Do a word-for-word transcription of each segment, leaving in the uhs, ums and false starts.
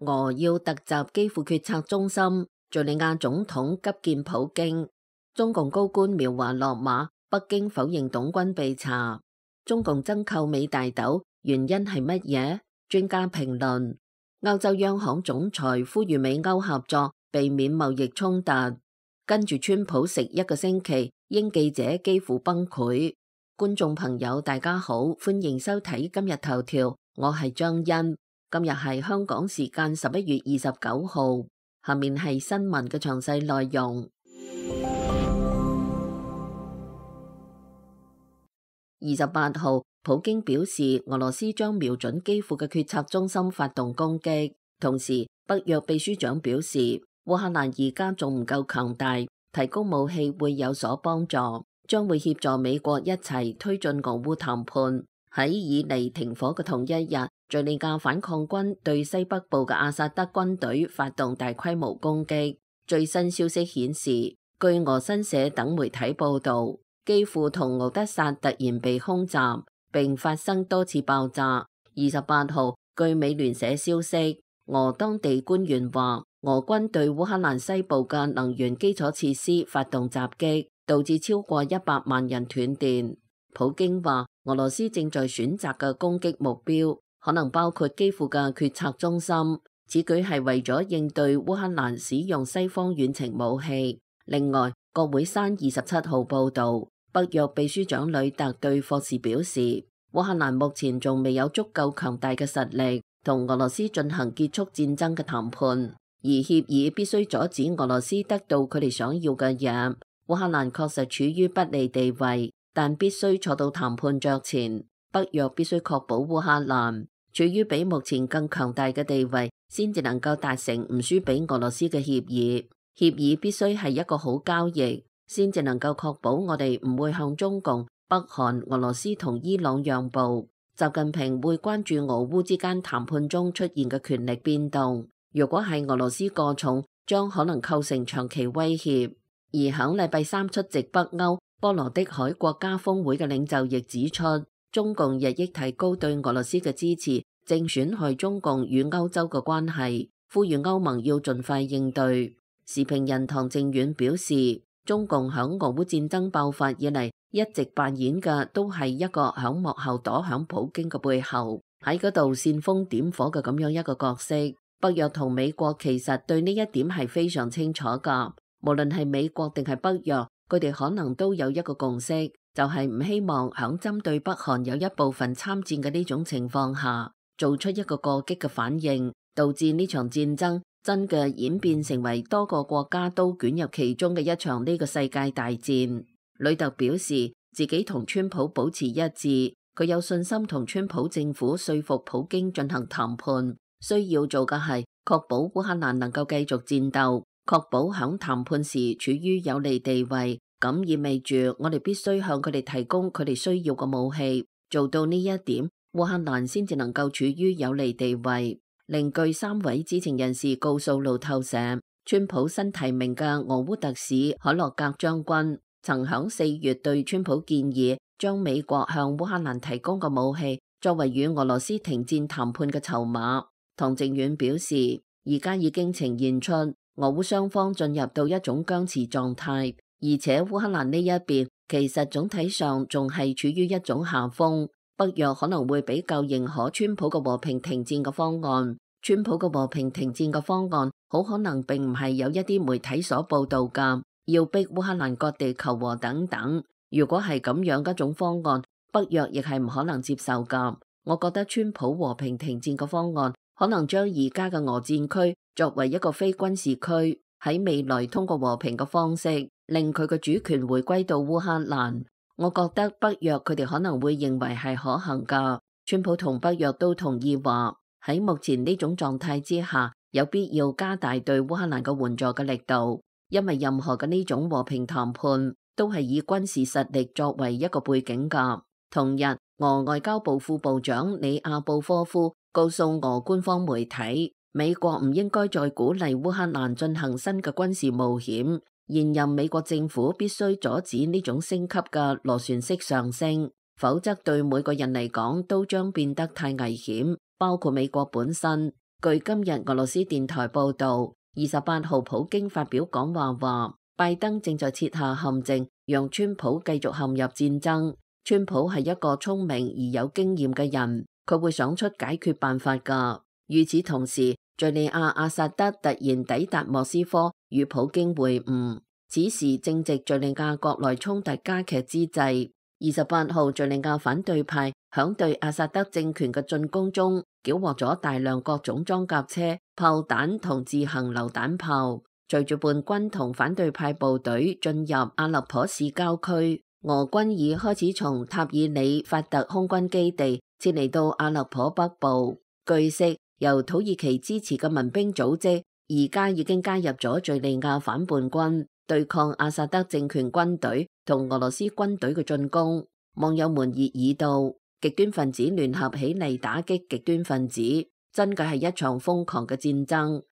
俄要突襲基輔決策中心，敘利亞總統急見普京。中共高官描畫落馬，北京否認董軍被查。中共增購美大豆，原因係乜嘢？專家評論。歐洲央行總裁呼籲美歐合作，避免貿易衝突。跟住川普食一個星期，英記者幾乎崩潰。觀眾朋友大家好，歡迎收睇今日頭條，我係張欣。今日係香港時間十一月二十九號，下面係新聞嘅詳細內容。二十八號，普京表示俄羅斯將瞄準基輔嘅決策中心發動攻擊。同時，北約秘書長表示，烏克蘭而家仲唔夠強大，提供武器會有所幫助，將會協助美國一齊推進俄烏談判。喺以嚟停火嘅同一日，敘利亞反抗軍對西北部嘅阿薩德軍隊發動大規模攻擊。最新消息顯示，據俄新社等媒體報道，基輔同敖德薩突然被空襲，並發生多次爆炸。二十八號，據美聯社消息，俄當地官員話，俄軍對烏克蘭西部嘅能源基礎設施發動襲擊，導致超過一百萬人斷電。普京話，俄羅斯正在選擇嘅攻擊目標可能包括基輔嘅決策中心，此舉係為咗應對烏克蘭使用西方遠程武器。另外，國會山二十七號報道，北約秘書長呂特對霍士表示，烏克蘭目前仲未有足夠強大嘅實力同俄羅斯進行結束戰爭嘅談判，而協議必須阻止俄羅斯得到佢哋想要嘅嘢。烏克蘭確實處於不利地位，但必須坐到談判桌前。北約必須確保烏克蘭處於比目前更強大嘅地位，先至能夠達成唔輸俾俄羅斯嘅協議。協議必須係一個好交易，先至能夠確保我哋唔會向中共、北韓、俄羅斯同伊朗讓步。習近平會關注俄烏之間談判中出現嘅權力變動，如果係俄羅斯過重，將可能構成長期威脅。而響禮拜三出席北歐波羅的海國家峰會嘅領袖亦指出，中共日益提高對俄羅斯嘅支持，正損害中共與歐洲嘅關係，呼籲歐盟要盡快應對。時評人唐正遠表示，中共響俄烏戰爭爆發以嚟，一直扮演嘅都係一個響幕後躲響普京嘅背後，喺嗰度煽風點火嘅咁樣一個角色。北約同美國其實對呢一點係非常清楚噶，無論係美國定係北約，佢哋可能都有一個共識，就係唔希望響針對北韓有一部分參戰嘅呢種情況下，做出一個過激嘅反應，導致呢場戰爭真嘅演變成為多個國家都捲入其中嘅一場呢個世界大戰。呂特表示自己同川普保持一致，佢有信心同川普政府說服普京進行談判，需要做嘅係確保烏克蘭能夠繼續戰鬥，確保響談判時處於有利地位，咁意味住我哋必須向佢哋提供佢哋需要嘅武器，做到呢一點，烏克蘭先至能夠處於有利地位。另據三位知情人士告訴路透社，川普新提名嘅俄烏特使海洛格將軍曾響四月對川普建議，將美國向烏克蘭提供嘅武器作為與俄羅斯停戰談判嘅籌碼。唐正遠表示，而家已經呈現出俄烏雙方進入到一種僵持狀態，而且烏克蘭呢一邊其實總體上仲係處於一種下風。北約可能會比較認可川普嘅和平停戰嘅方案，川普嘅和平停戰嘅方案好可能並唔係有一啲媒體所報道噶，要逼烏克蘭割地求和等等。如果係咁樣嘅一種方案，北約亦係唔可能接受噶。我覺得川普和平停戰嘅方案可能將而家嘅俄戰區作為一個非軍事區，喺未來通過和平嘅方式令佢嘅主權回歸到烏克蘭。我覺得北約佢哋可能會認為係可行噶。川普同北約都同意話，喺目前呢種狀態之下，有必要加大對烏克蘭嘅援助嘅力度，因為任何嘅呢種和平談判都係以軍事實力作為一個背景噶。同日，俄外交部副部長里亞布科夫告訴俄官方媒體，美國唔應該再鼓勵烏克蘭進行新嘅軍事冒險。現任美國政府必須阻止呢種升級嘅螺旋式上升，否則對每個人嚟講都將變得太危險，包括美國本身。據今日俄羅斯電台報導，二十八號普京發表講話話，拜登正在設下陷阱，讓川普繼續陷入戰爭。川普係一個聰明而有經驗嘅人，佢會想出解決辦法㗎。與此同時，敘利亞阿薩德突然抵達莫斯科與普京會晤，此時正值敘利亞國內衝突加劇之際。二十八號，敘利亞反對派響對阿薩德政權嘅進攻中，繳獲咗大量各種裝甲車、炮彈同自行榴彈炮。隨住叛軍同反對派部隊進入阿勒頗市郊區，俄軍已開始從塔爾里法特空軍基地撤離到阿勒頗北部。據悉，由土耳其支持嘅民兵組織而家已經加入咗敘利亞反叛軍，對抗阿薩德政權軍隊同俄羅斯軍隊嘅進攻。網友們熱議道，極端分子聯合起嚟打擊極端分子，真嘅係一場瘋狂嘅戰爭。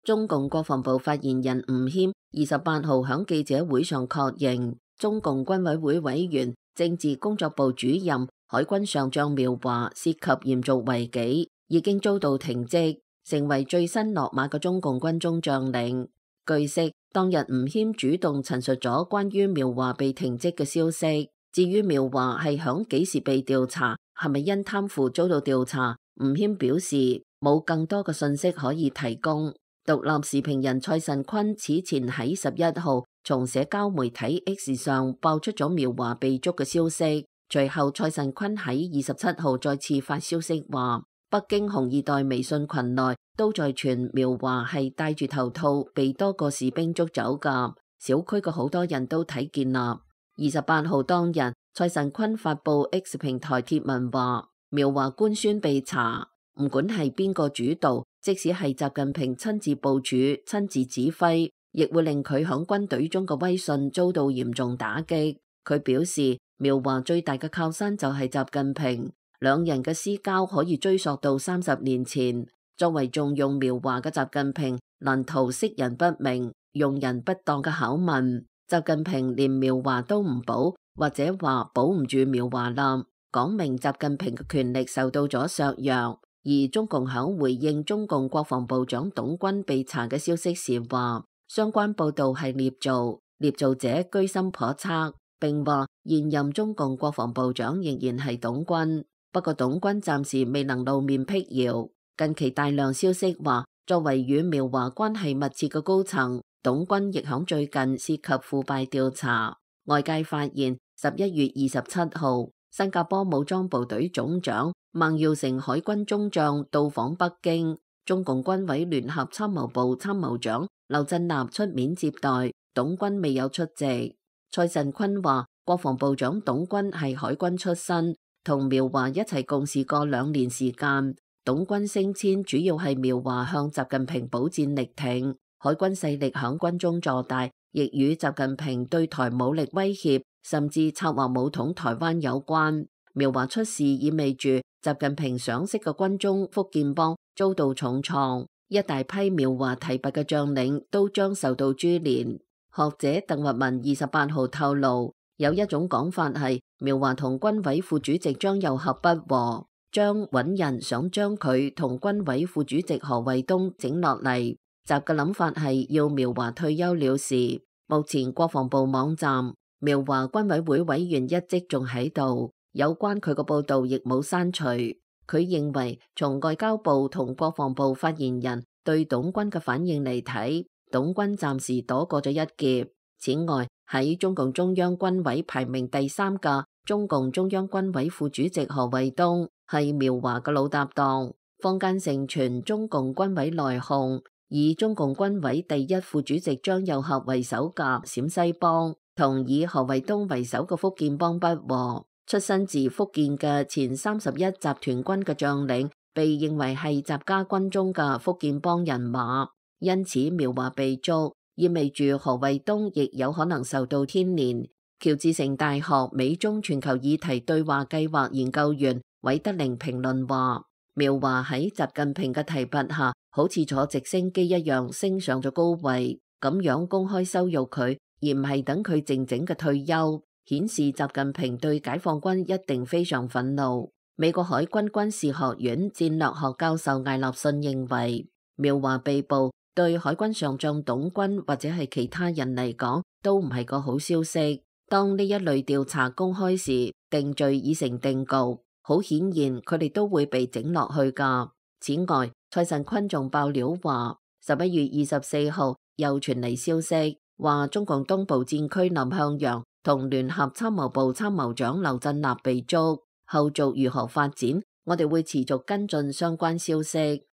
中共國防部發言人吳謙二十八號喺記者會上確認，中共軍委會委員、政治工作部主任、海軍上將苗華涉及嚴重違紀，已經遭到停職，成為最新落馬嘅中共軍中將領。據悉，當日吳謙主動陳述咗關於苗華被停職嘅消息。至於苗華係響幾時被調查，係咪因貪腐遭到調查，吳謙表示冇更多嘅信息可以提供。獨立時評人蔡慎坤此前喺十一號從社交媒體 X 上爆出咗苗華被捉嘅消息，隨後蔡慎坤喺二十七號再次發消息話，北京紅二代微信群內都在傳苗華係戴住頭套被多個士兵捉走噶，小區嘅好多人都睇見啦。二十八號當日，蔡慎坤發布 X 平台貼文話，苗華官宣被查，唔管係邊個主導，即使係習近平親自部署、親自指揮，亦會令佢響軍隊中嘅威信遭到嚴重打擊。佢表示，苗華最大嘅靠山就係習近平，兩人嘅私交可以追溯到三十年前。作為重用苗華嘅習近平，難逃識人不明、用人不當嘅考問。習近平連苗華都唔保，或者話保唔住苗華啦，講明習近平嘅權力受到咗削弱。而中共響回應中共國防部長董軍被查嘅消息時話，相關報道係捏造，捏造者居心叵測，並話現任中共國防部長仍然係董軍，不過董軍暫時未能露面辟謠。近期大量消息話，作為與苗華關係密切嘅高層，董軍亦響最近涉及腐敗調查。外界發現十一月二十七號，新加坡武裝部隊總長孟耀成海軍中將到訪北京，中共軍委聯合參謀部參謀長劉振立出面接待，董軍未有出席。蔡慎坤話，國防部長董軍係海軍出身，同苗華一齊共事過兩年時間。董軍升遷主要係苗華向習近平保戰力挺，海軍勢力響軍中坐大，亦與習近平對台武力威脅，甚至策劃武統台灣有關。苗華出事意味住習近平賞識嘅軍中福建幫遭到重創，一大批苗華提拔嘅將領都將受到株連。學者鄧聿文二十八號透露，有一種講法係苗華同軍委副主席張又俠不和，張揾人想將佢同軍委副主席何衛東整落嚟。習嘅諗法係要苗華退休了事。目前國防部網站苗華軍委會委員一職仲喺度，有關佢個報道亦冇刪除。佢認為從外交部同國防部發言人對董軍嘅反應嚟睇，董軍暫時躲過咗一劫。此外，喺中共中央軍委排名第三嘅中共中央軍委副主席何衛東係苗華嘅老搭檔。坊間盛傳中共軍委內訌，以中共軍委第一副主席張又俠為首嘅陝西幫同以何衛東為首嘅福建幫不和。出身自福建嘅前三十一集團軍嘅將領被認為係習家軍中嘅福建幫人馬，因此苗華被捉，意味住何衛東亦有可能受到牽連。喬治城大學美中全球議題對話計劃研究員韋德寧評論話，苗華喺習近平嘅提拔下，好似坐直升機一樣升上咗高位，咁樣公開羞辱佢，而唔係等佢靜靜嘅退休，顯示習近平對解放軍一定非常憤怒。美國海軍軍事學院戰略學教授艾立信認為，苗華被捕對海軍上將董軍或者係其他人嚟講都唔係個好消息。當呢一類調查公開時，定罪已成定局，好顯然佢哋都會被整落去㗎。此外，蔡慎坤仲爆料話，十一月二十四號又傳嚟消息，話中共東部戰區南向陽同聯合參謀部參謀長劉振立被捉，後續如何發展，我哋會持續跟進相關消息。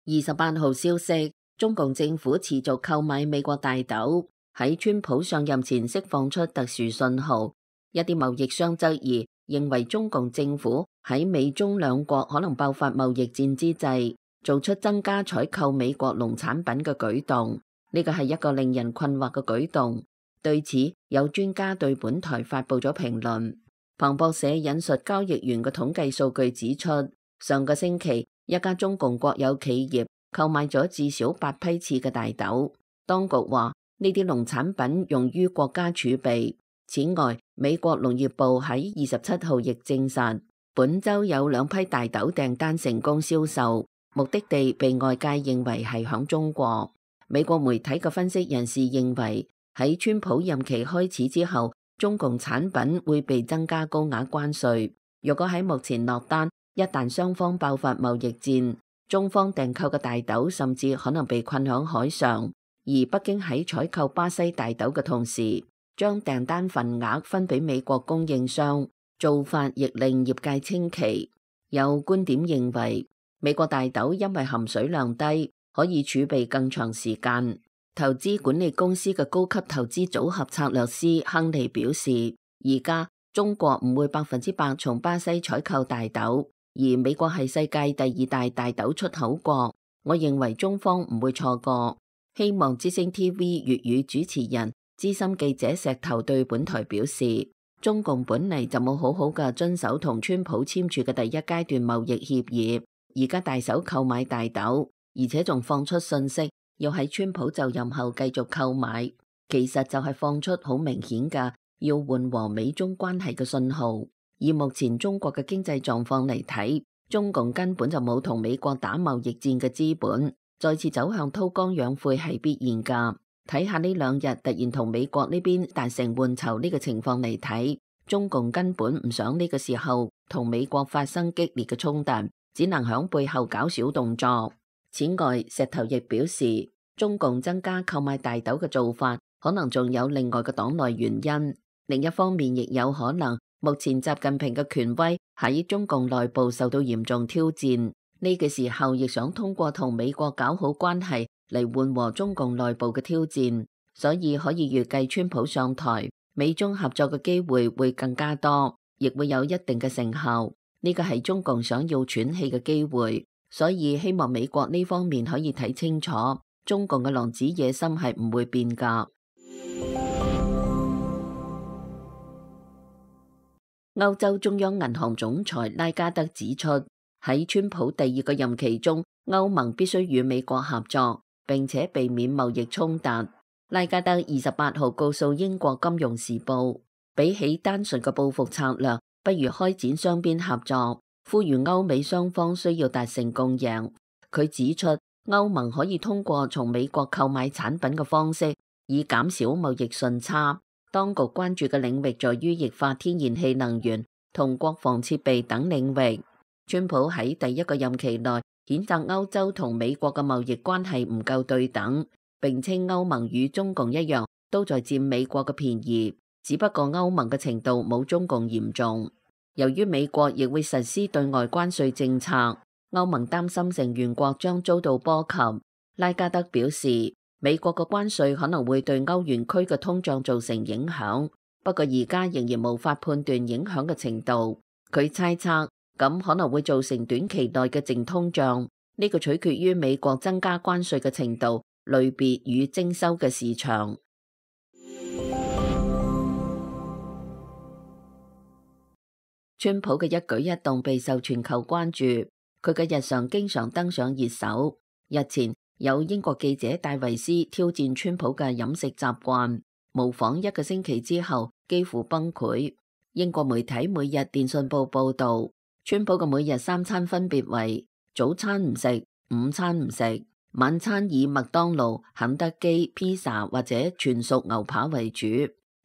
二十八號消息，中共政府持續購買美國大豆，喺川普上任前釋放出特殊信號。一啲貿易商質疑，認為中共政府喺美中兩國可能爆發貿易戰之際，做出增加採購美國農產品嘅舉動。呢個係一個令人困惑嘅舉動。對此，有專家對本台發佈咗評論。彭博社引述交易員嘅統計數據指出，上個星期一家中共國有企業購買咗至少八批次嘅大豆。當局話呢啲農產品用於國家儲備。此外，美國農業部喺二十七號亦證實，本週有兩批大豆訂單成功銷售，目的地被外界認為係響中國。美國媒體嘅分析人士認為，喺川普任期開始之後，中共產品會被增加高額關稅。如果喺目前落單，一旦雙方爆發貿易戰，中方訂購嘅大豆甚至可能被困響海上。而北京喺採購巴西大豆嘅同時，將訂單份額分俾美國供應商，做法亦令業界稱奇。有觀點認為，美國大豆因為含水量低，可以儲備更長時間。投資管理公司嘅高級投資組合策略師亨利表示，而家中國唔會百分之百從巴西採購大豆，而美國係世界第二大大豆出口國。我認為中方唔會錯過。希望之聲 T V 粵語主持人資深記者石頭對本台表示，中共本嚟就冇好好嘅遵守同川普簽署嘅第一階段貿易協議，而家大手購買大豆，而且仲放出信息，要喺川普就任後繼續購買，其實就係放出好明顯嘅要緩和美中關係嘅信號。以目前中國嘅經濟狀況嚟睇，中共根本就冇同美國打貿易戰嘅資本，再次走向韜光養晦係必然噶。睇下呢兩日突然同美國呢邊達成換籌呢個情況嚟睇，中共根本唔想呢個時候同美國發生激烈嘅衝突，只能響背後搞小動作。此外，石頭亦表示，中共增加購買大豆嘅做法，可能仲有另外嘅黨內原因。另一方面，亦有可能目前習近平嘅權威喺中共內部受到嚴重挑戰，呢個時候亦想通過同美國搞好關係嚟緩和中共內部嘅挑戰，所以可以預計川普上台，美中合作嘅機會會更加多，亦會有一定嘅成效。呢個係中共想要喘氣嘅機會，所以希望美國呢方面可以睇清楚，中共嘅狼子野心係唔會變㗎。歐洲中央銀行總裁拉加德指出，喺川普第二個任期中，歐盟必須與美國合作，並且避免貿易衝突。拉加德二十八號告訴英國金融時報，比起單純嘅報復策略，不如開展雙邊合作，呼籲歐美雙方需要達成共贏。佢指出，歐盟可以通過從美國購買產品嘅方式，以減少貿易順差。當局關注嘅領域在於液化天然氣能源同國防設備等領域。川普喺第一個任期內譴責歐洲同美國嘅貿易關係唔夠對等，並稱歐盟與中共一樣都在佔美國嘅便宜，只不過歐盟嘅程度冇中共嚴重。由於美國亦會實施對外關稅政策，歐盟擔心成員國將遭到波及。拉加德表示，美國嘅關稅可能會對歐元區嘅通脹造成影響，不過而家仍然無法判斷影響嘅程度。佢猜測咁可能會造成短期內嘅淨通脹，呢個取決於美國增加關稅嘅程度、類別與徵收嘅市場。川普嘅一舉一動備受全球關注，佢嘅日常經常登上熱搜。日前有英國記者戴維斯挑戰川普嘅飲食習慣，模仿一個星期之後幾乎崩潰。英國媒體每日電訊報報導，川普嘅每日三餐分別為早餐唔食，午餐唔食，晚餐以麥當勞、肯德基、披薩或者全熟牛扒為主。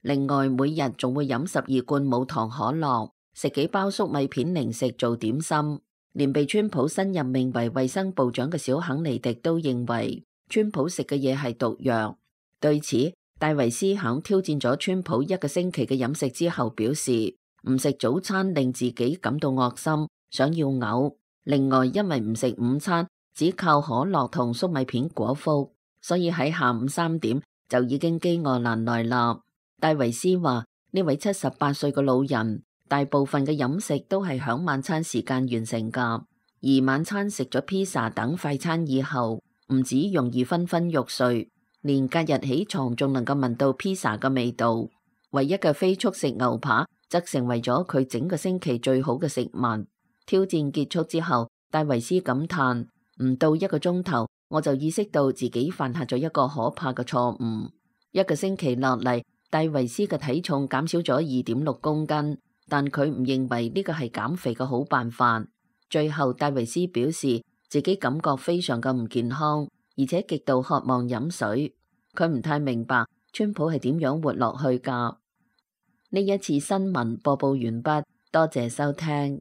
另外每日仲會飲十二罐無糖可樂，食幾包粟米片零食做點心。連被川普新任命為衛生部長嘅小肯尼迪都認為川普食嘅嘢係毒藥。對此，戴維斯響挑戰咗川普一個星期嘅飲食之後表示，唔食早餐令自己感到惡心，想要嘔。另外因為唔食午餐，只靠可樂同粟米片果腹，所以喺下午三點就已經飢餓難耐啦。戴維斯話呢位七十八歲嘅老人大部分嘅飲食都係響晚餐時間完成噶，而晚餐食咗披薩等快餐以後，唔止容易昏昏欲睡，連隔日起床仲能夠聞到披薩嘅味道。唯一嘅非速食牛扒則成為咗佢整個星期最好嘅食物。挑戰結束之後，戴維斯感嘆，唔到一個鐘頭我就意識到自己犯下咗一個可怕嘅錯誤。一個星期落嚟，戴維斯嘅體重減少咗二點六公斤。但佢唔認為呢個係減肥嘅好辦法。最後，戴維斯表示自己感覺非常嘅唔健康，而且極度渴望飲水。佢唔太明白川普係點樣活落去㗎。呢一次新聞播報完畢，多謝收聽。